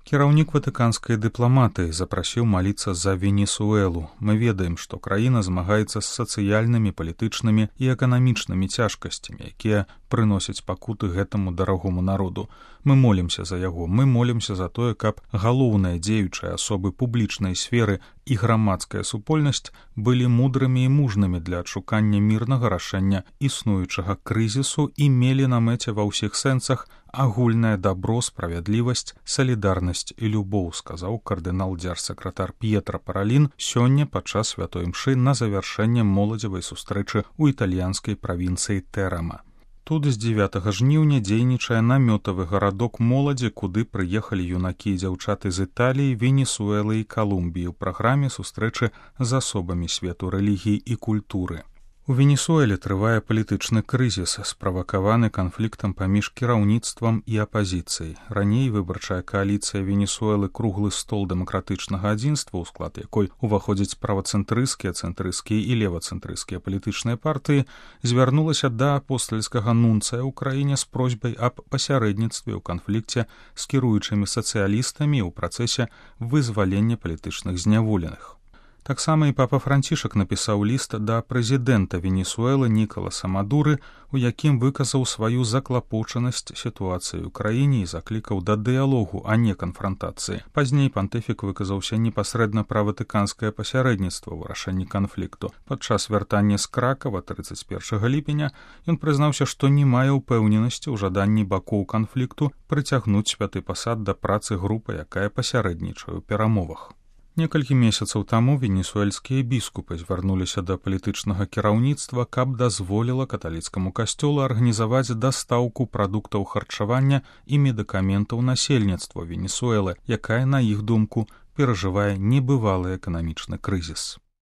Кіраўнік ватыканскай дыпламатыі запрасіў маліцца за Венесуэлу. Мы ведаем, што краіна змагаецца з сацыяльнымі, палітычнымі і эканамічнымі цяжкасцямі, якія прыносяць пакуты гэтаму дарагому народу. Мы молімся за яго, мы молімся за тое, каб галоўныя дзеючыя асобы публічнай сферы і грамадская супольнасць былі мудрымі і мужнымі для адшукання мірнага рашэння існуючага крызісу і мелі на мэце ва ўсіх сэнсах агульнае дабро, справядлівасць, салідарнасць і любоў, сказаў кардынал дзяржсакратар П'етра Паралін сёння падчас святой імшы на завяршэнне моладзевай сустрэчы ў італьянскай правінцыі Тэрама. Тут з 9 жніўня дзейнічае намётавы гарадок моладзі, куды прыехалі юнакі і дзяўчаты з Італіі, Венесуэлы і Калумбіі ў праграме сустрэчы з асобамі свету рэлігіі і культуры. У Венесуэле трывае палітычны крызіс, справакаваны канфліктам паміж кіраўніцтвам і апазіцыяй. Раней выбарчая кааліцыя Венесуэлы «Круглы стол дэмакратычнага адзінства», у склад якой уваходзяць правацэнтрысцкія, цэнтрысцкія і левацэнтрысцкія палітычныя партыі, звярнулася да апостальскага нунцая ў краіне з просьбай аб пасярэдніцтве ў канфлікце з кіруючымі сацыялістамі ў працэсе вызвалення палітычных зняволеных. Таксама і папа Францішак напісаў ліст да прэзідэнта Венесуэлы Нікаласа Мадуры, у якім выказаў сваю заклапочанасць сітуацыяй у краіне і заклікаў да дыялогу, а не канфрантацыі. Пазней пантыфік выказаўся непасрэдна пра ватыканскае пасярэдніцтва ў вырашэнні канфлікту. Падчас вяртання з Кракава 31 ліпеня ён прызнаўся, што не мае ўпэўненасці ў жаданні бакоў канфлікту прыцягнуць святы пасад да працы групы, якая пасярэднічае ў перамовах. Некалькі месяцаў таму венесуэльскія біскупы звярнуліся да палітычнага кіраўніцтва, каб дазволіла каталіцкаму касцёлу арганізаваць дастаўку прадуктаў харчавання і медыкаментаў насельніцтва Венесуэлы, якая, на іх думку, перажывае небывалы эканамічны крызіс.